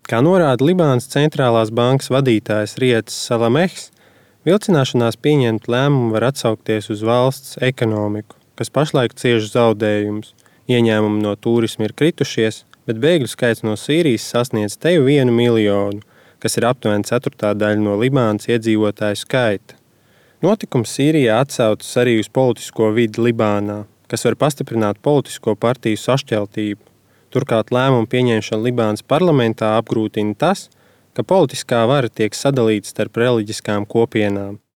Kā norāda Libānas centrālās bankas vadītājs Riets Salamehs, vilcināšanās pieņemt lēmumu var atsaukties uz valsts ekonomiku, kas pašlaik cieš zaudējumus. Ieņēmumi no tūrisma ir kritušies, bet bēgļu skaits no Sīrijas sasniedz teju 1 miljonu, kas ir aptuveni 1/4 no Libānas iedzīvotāju skaita. Notikums Sīrijā atsaucas arī uz politisko vidi Libānā, kas var pastiprināt politisko partiju sašķeltību. Turklāt lēmumu pieņemšana Libānas parlamentā apgrūtina tas, ka politiskā vara tiek sadalīta starp reliģiskām kopienām.